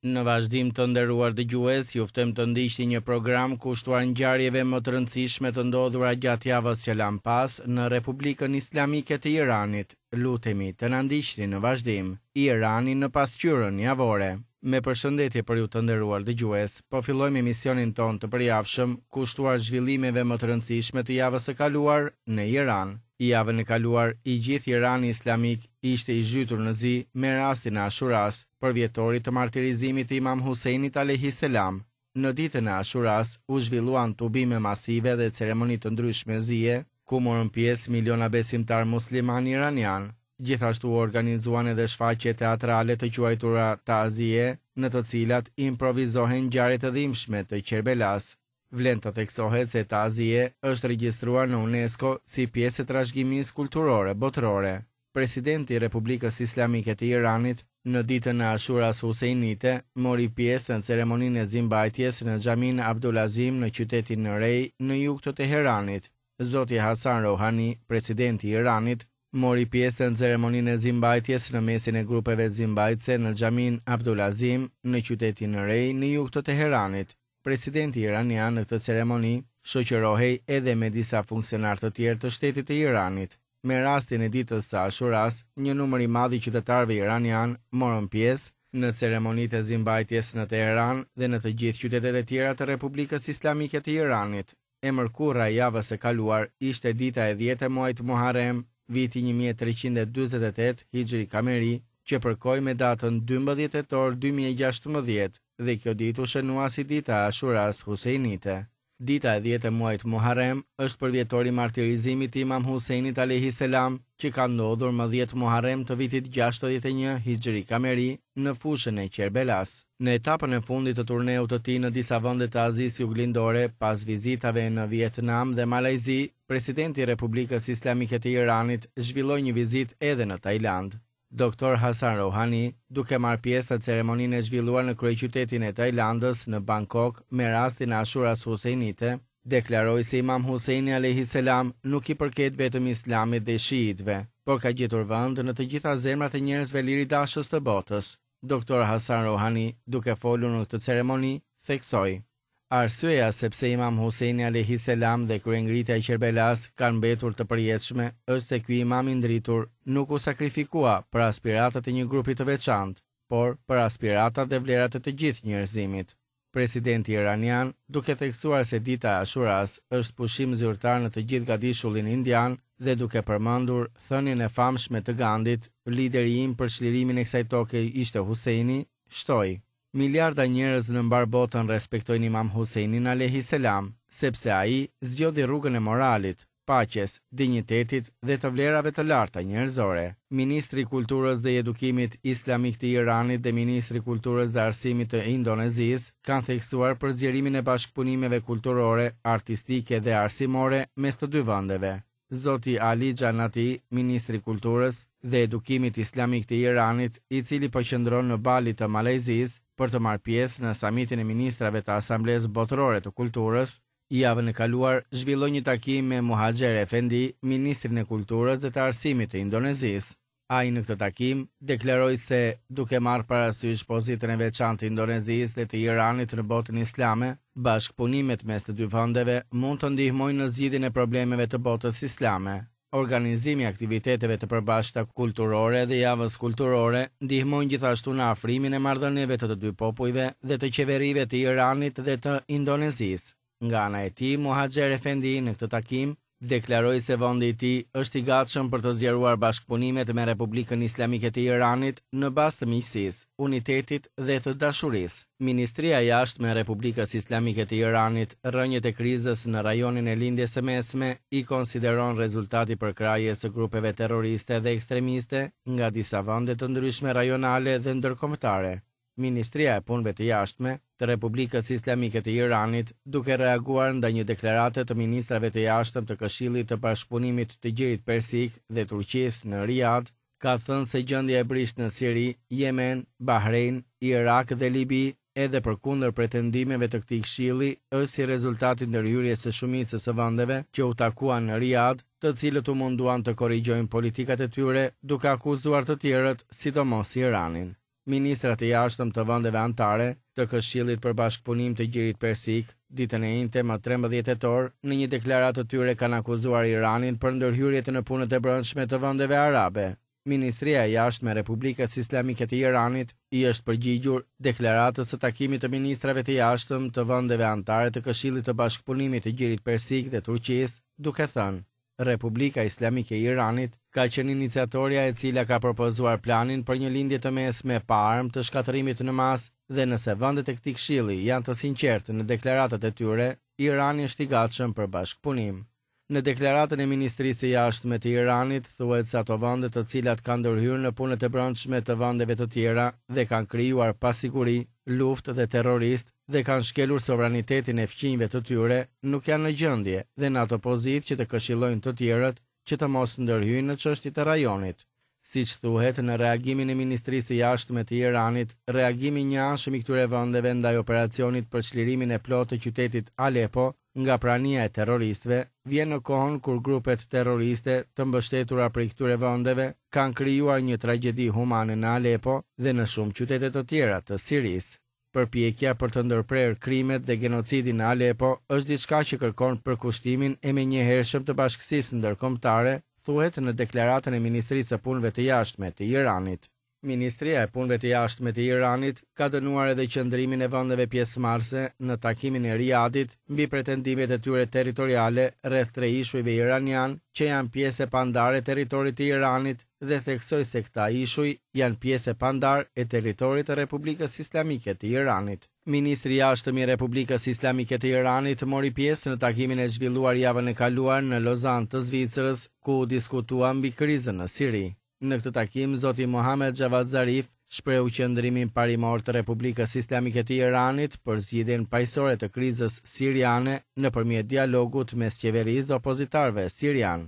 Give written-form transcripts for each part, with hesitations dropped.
Në vazhdim të nderuar dëgjues, ju ftojmë të ndiqni një program kushtuar ngjarjeve më të rëndësishme të ndodhura gjatë javës që lamë pas në Republikën Islamike të Iranit. Lutemi të na ndiqni në vazhdim. Irani në pasqyrën javore. Me përshëndetje për ju të nderuar dëgjues, po fillojmë emisionin tonë të përjavshëm kushtuar zhvillimeve më të rëndësishme të javës së kaluar në Iran. Javën e kaluar, i gjithë Irani Islamik ishte i zhytur në zi me rastin e Ashuras, përvjetorit të martirizimit të Imam Husejnit alejhi selam. Në ditën e Ashuras u zhvilluan tubime masive dhe ceremoni të ndryshme zie, ku morën pjesë miliona besimtarë muslimanë iranianë. Gjithashtu u organizuan edhe shfaqje teatrale të quajtura Tazie, në të cilat improvizohen ngjarje të dhimbshme të Qerbelasë. Vlen të theksohet se Tazie është regjistruar në UNESCO si pjesë e trashëgimisë kulturore botërore. Presidenti i Republikës Islamike të Iranit, në ditën e Ashuras Husejnite, mori pjesë në ceremoninë e zimbajtjes në xhaminë Abdulazim në qytetin Rej, në jug të Teheranit. Zoti Hasan Rouhani, presidenti i Iranit, mori pjesë në ceremoninë e zimbajtjes në mesin e grupeve zimbajtëse në xhaminë Abdulazim në qytetin Rej, në jug të Teheranit. Presidenti iranian në këtë ceremoni shoqërohej edhe me disa funksionarë të tjerë të shtetit të Iranit. Me rastin e ditës së Ashuras, një numër i madh i qytetarëve iranianë morën pjesë në ceremonitë e zimbajtjes në Teheran dhe në të gjithë qytetet e tjera të Republikës Islamike të Iranit. E mërkura e javës së kaluar ishte dita e dhjetë e muajit Muharrem, viti 1348 Hixhri Kameri, që përkoi me datën 12 tetor 2016 dhe kjo ditë u shënua si dita e Ashuras Husejnite. Dita e dhjetë e muajit Muharrem është përvjetori i martirizimit të Imam Husejnit alejhi selam, që ka ndodhur më 10 Muharrem të vitit 61 Hixhri Kameri në fushën e Qerbelas. Në etapën e fundit të turneut të tij në disa vende të Azisë Juglindore, pas vizitave në Vietnam dhe Malajzi, presidenti i Republikës Islamike të Iranit zhvilloi një vizitë edhe në Tajlandë. Doktor Hasan Rouhani, duke marrë pjesë në ceremoninë e zhvilluar në kryeqytetin e Tajlandës, në Bangkok, me rastin e Ashuras Husejnite, deklaroi se Imam Husejni alejhi selam nuk i përket vetëm Islamit dhe shiitëve, por ka gjetur vend në të gjitha zemrat e njerëzve liridashës të botës. Doktor Hasan Rouhani, duke folur në këtë ceremoni, theksoi, Arsyeja se pse Imam Husejni alejhi selam dhe kryengritja e Qerbelasë kanë mbetur të përjetshme është se ky imam i ndritur nuk u sakrifikua për aspiratat e një grupi të veçantë, por për aspiratat dhe vlerat e të gjithë njerëzimit. Presidenti iranian, duke theksuar se dita e Ashuras është pushim zyrtar në të gjithë gadishullin indian dhe duke përmendur thënien e famshme të Gandit, lideri im për çlirimin e kësaj toke ishte Husejni, shtoi, Miliarda njerëz në mbarë botën respektojnë Imam Husejnin alejhi selam, sepse ai zgjodhi rrugën e moralit, paqes, dinjitetit dhe të vlerave të larta njerëzore. Ministri i Kulturës dhe i Edukimit Islamik të Iranit dhe Ministri i Kulturës dhe Arsimit të Indonezisë kanë theksuar për zgjerimin e bashkëpunimeve kulturore, artistike dhe arsimore mes të dy vendeve. Zoti Ali Xhanati, ministri i Kulturës dhe Edukimit Islamik të Iranit, i cili po qëndron në Bali të Malajzisë për të marrë pjesë në samitin e ministrave të Asamblesë Botërore të Kulturës, javën e kaluar zhvilloi një takim me Muhaxher Efendi, ministrin e Kulturës dhe të Arsimit të Indonezisë. Ai në këtë takim deklaroi se, duke marrë parasysh pozitën e veçantë të Indonezisë dhe të Iranit në botën islame, bashkëpunimet mes të dy vendeve mund të ndihmojnë në zgjidhjen e problemeve të botës islame. Organizimi i aktiviteteve të përbashkëta kulturore dhe javës kulturore ndihmojnë gjithashtu në afrimin e marrëdhënieve të të dy popujve dhe të qeverive të Iranit dhe të Indonezisë. Nga ana e tij, Muhaxher Efendi në këtë takim deklaroi se vendi i tij është i gatshëm për të zgjeruar bashkëpunimet me Republikën Islamike të Iranit në bazë të miqësisë, unitetit dhe të dashurisë. Ministria e Jashtme e Republikës Islamike të Iranit rrënjët e krizës në rajonin e Lindjes së Mesme i konsideron rezultat i përkrahjes së grupeve terroriste dhe ekstremiste nga disa vende të ndryshme rajonale dhe ndërkombëtare. Ministria e Punëve të Jashtme të Republikës Islamike të Iranit, duke reaguar ndaj një deklarate të ministrave të jashtëm të Këshillit të Bashkëpunimit të Gjirit Persik dhe Turqisë në Riad, ka thënë se gjendja e brishtë në Siri, Jemen, Bahrein, Irak dhe Libi, edhe përkundër pretendimeve të këtij këshilli, është si rezultat i ndërhyrjes së shumicës së vendeve që u takuan në Riad, të cilët u munduan të korrigjojnë politikat e tyre duke akuzuar të tjerët, sidomos Iranin. Ministrat e jashtëm të vendeve anëtare të Këshillit për Bashkëpunim të Gjirit Persik, ditën e enjte më 13 tetor, në një deklaratë të tyre kanë akuzuar Iranin për ndërhyrjet në punët e brendshme të vendeve arabe. Ministria e Jashtme e Republikës Islamike të Iranit i është përgjigjur deklaratës së takimit të ministrave të jashtëm të vendeve anëtare të Këshillit të Bashkëpunimit të Gjirit Persik dhe Turqisë, duke thënë, Republika Islamike e Iranit ka qenë iniciatorja e cila ka propozuar planin për një Lindje të Mesme pa armë të shkatërrimit në masë dhe nëse vendet e këtij këshilli janë të sinqertë në deklaratat e tyre, Irani është i gatshëm për bashkëpunim. Në deklaratën e Ministrisë së Jashtme të Iranit thuhet se ato vende të cilat kanë ndërhyrë në punët e brendshme të vendeve të tjera dhe kanë krijuar pasiguri, luftë dhe terroristë dhe kanë shkelur sovranitetin e fqinjve të tyre, nuk janë në gjendje dhe në atë pozitë që të këshillojnë të tjerët që të mos ndërhyjnë në çështjet e rajonit. Siç thuhet në reagimin e Ministrisë së Jashtme të Iranit, reagimi i njëanshëm i këtyre vendeve ndaj operacionit për çlirimin e plotë të qytetit Alepo nga prania e terroristëve, vjen në kohën kur grupet terroriste të mbështetura prej këtyre vendeve kanë krijuar një tragjedi humane në Alepo dhe në shumë qytete të tjera të Sirisë. Përpjekja për të ndërprerë krimet dhe genocidin në Alepo është diçka që kërkon përkushtimin e menjëhershëm të bashkësisë ndërkombëtare, thuhet në deklaratën e Ministrisë së Punëve të Jashtme të Iranit. Ministria e Punëve të Jashtme të Iranit ka dënuar edhe qëndrimin e vendeve pjesëmarrëse në takimin e Riadit mbi pretendimet e tyre territoriale rreth tre ishujve iranianë që janë pjesë e pandarë e territorit të Iranit dhe theksoi se këta ishuj janë pjesë e pandarë e territorit të Republikës Islamike të Iranit. Ministri i Jashtëm i Republikës Islamike të Iranit mori pjesë në takimin e zhvilluar javën e kaluar në Lozanë të Zvicrës, ku u diskutua mbi krizën në Siri. Në këtë takim, zoti Mohammad Javad Zarif shprehu qëndrimin parimor të Republikës Islamike të Iranit për zgjidhjen paqësore të krizës siriane nëpërmjet dialogut mes qeverisë dhe opozitarëve sirianë.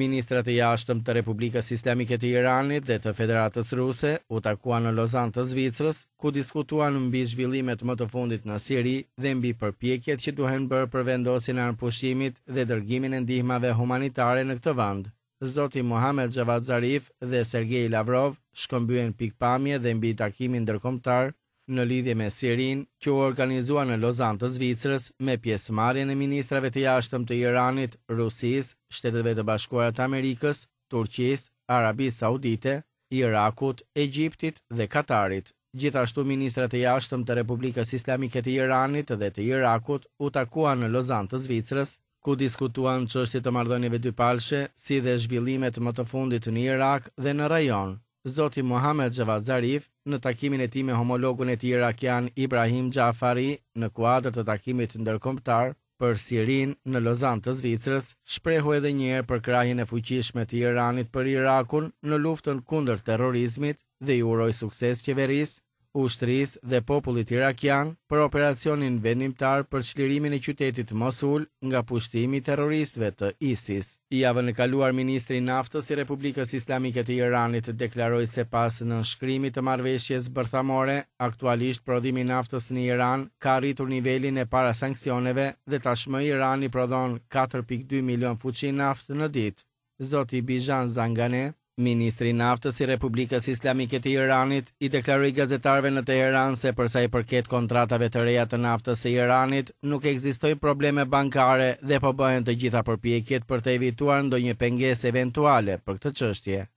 Ministrat e Jashtëm të Republikës Islamike të Iranit dhe të Federatës Ruse u takuan në Lozanë të Zvicrës, ku diskutuan mbi zhvillimet më të fundit në Siri dhe mbi përpjekjet që duhen bërë për vendosjen e armëpushimit dhe dërgimin e ndihmave humanitare në këtë vend. Zoti Mohammad Javad Zarif dhe Sergei Lavrov shkëmbyen pikëpamje dhe mbi takimin ndërkombëtar në lidhje me Sirinë, që u organizua në Lozanë të Zvicrës me pjesëmarrjen e ministrave të jashtëm të Iranit, Rusisë, Shteteve të Bashkuara të Amerikës, Turqisë, Arabisë Saudite, Irakut, Egjiptit dhe Katarit. Gjithashtu ministrat e jashtëm të Republikës Islamike të Iranit dhe të Irakut u takuan në Lozanë të Zvicrës, ku diskutuan çështje të marrëdhënieve dypalëshe, si dhe zhvillimet më të fundit në Irak dhe në rajon. Zoti Mohammad Javad Zarif, në takimin e tij me homologun e tij irakian Ibrahim Xhafari në kuadër të takimit ndërkombëtar për Sirinë në Lozanë të Zvicrës, shprehu edhe një herë përkrahjen e fuqishme të Iranit për Irakun në luftën kundër terrorizmit dhe i uroi sukses qeverisë ushtrisë dhe popullit irakian për operacionin vendimtar për çlirimin e qytetit Mosul nga pushtimi i terroristëve të ISIS. Javën e kaluar ministri i Naftës i Republikës Islamike të Iranit deklaroi se pas nënshkrimit të marrëveshjes bërthamore, aktualisht prodhimi i naftës në Iran ka arritur nivelin e para sanksioneve dhe tashmë Irani prodhon 4.2 milion fuçi naftë në ditë. Zoti Bijan Zanganeh, ministri i Naftës i Republikës Islamike të Iranit, i deklaroi gazetarëve në Teheran se për sa i përket kontratave të reja të naftës së Iranit, nuk ekzistojnë probleme bankare dhe po bëhen të gjitha përpjekjet për të evituar ndonjë pengesë eventuale për këtë çështje.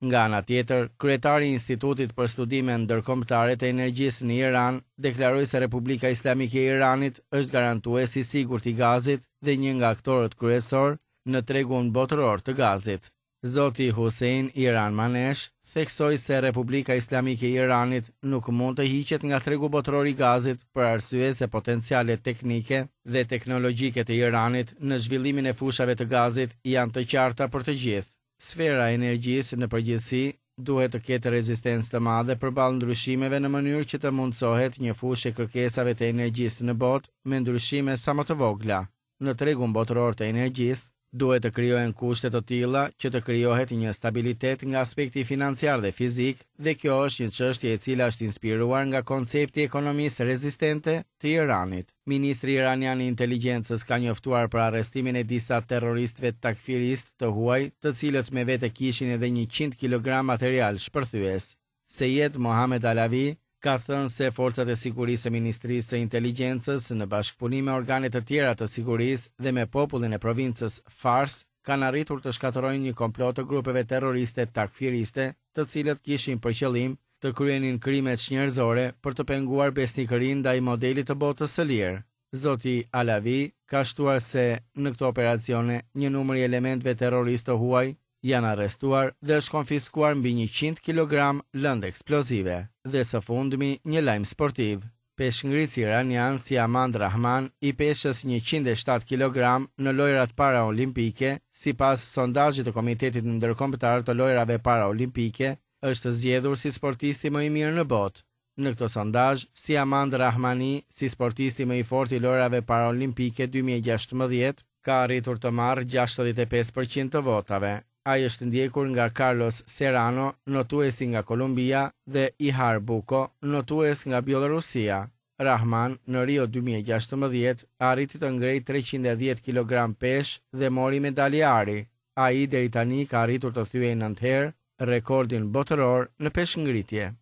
Nga ana tjetër, kryetari i Institutit për Studime Ndërkombëtare të Energjisë në Iran deklaroi se Republika Islamike e Iranit është garantues i sigurt i gazit dhe një nga aktorët kryesorë në tregun botëror të gazit. Zoti Hussein Iran Manesh theksoi se Republika Islamike e Iranit nuk mund të hiqet nga tregu botëror i gazit për arsye se potencialet teknike dhe teknologjike të Iranit në zhvillimin e fushave të gazit janë të qarta për të gjithë. Sfera e energjisë në përgjithësi duhet të ketë rezistencë të madhe përballë ndryshimeve në mënyrë që të mundësohet një fushë e kërkesave të energjisë në botë me ndryshime sa më të vogla. Në tregun botëror të energjisë, duhet të krijohen kushte të tilla që të krijohet një stabilitet nga aspekti financiar dhe fizik dhe kjo është një çështje e cila është inspiruar nga koncepti i ekonomisë rezistente të Iranit. Ministri iranian i Inteligjencës ka njoftuar për arrestimin e disa terroristëve takfiristë të huaj, të cilët me vete kishin edhe 100 kilogram material shpërthyes. Sejed Mohamed Alavi, ka thënë se forcat e sigurisë së Ministrisë së Inteligjencës në bashkëpunim me organe të tjera të sigurisë dhe me popullin e provincës Fars kanë arritur të shkatërrojnë një komplot të grupeve terroriste takfiriste, të cilët kishin për qëllim të kryenin krime çnjerëzore për të penguar besnikërinë ndaj modelit të botës së lirë. Zoti Alavi ka shtuar se në këto operacione një numër i elementëve terroristë të huaj janë arrestuar dhe është konfiskuar mbi 100 kilogramë lëndë eksplozive. Dhe së fundmi, një lajm sportiv. Peshëngritësi iranian Siamand Rahman i peshës 107 kilogramë në Lojërat Paraolimpike, sipas sondazhit të Komitetit Ndërkombëtar të Lojërave Paraolimpike, është zgjedhur si sportisti më i mirë në botë. Në këtë sondazh, Siamand Rahmani, si sportisti më i fortë i Lojërave Paraolimpike 2016, ka arritur të marrë 65% të votave. Ai është ndjekur nga Carlos Serrano, notuesi nga Kolumbia, dhe Ihar Buko, notues nga Bjellorusia. Rahman, në Rio 2016, arriti të ngrejë 310 kilogram peshë dhe mori medalje ari. Ai deri tani ka arritur të thyejë 9 herë rekordin botëror në peshëngritje.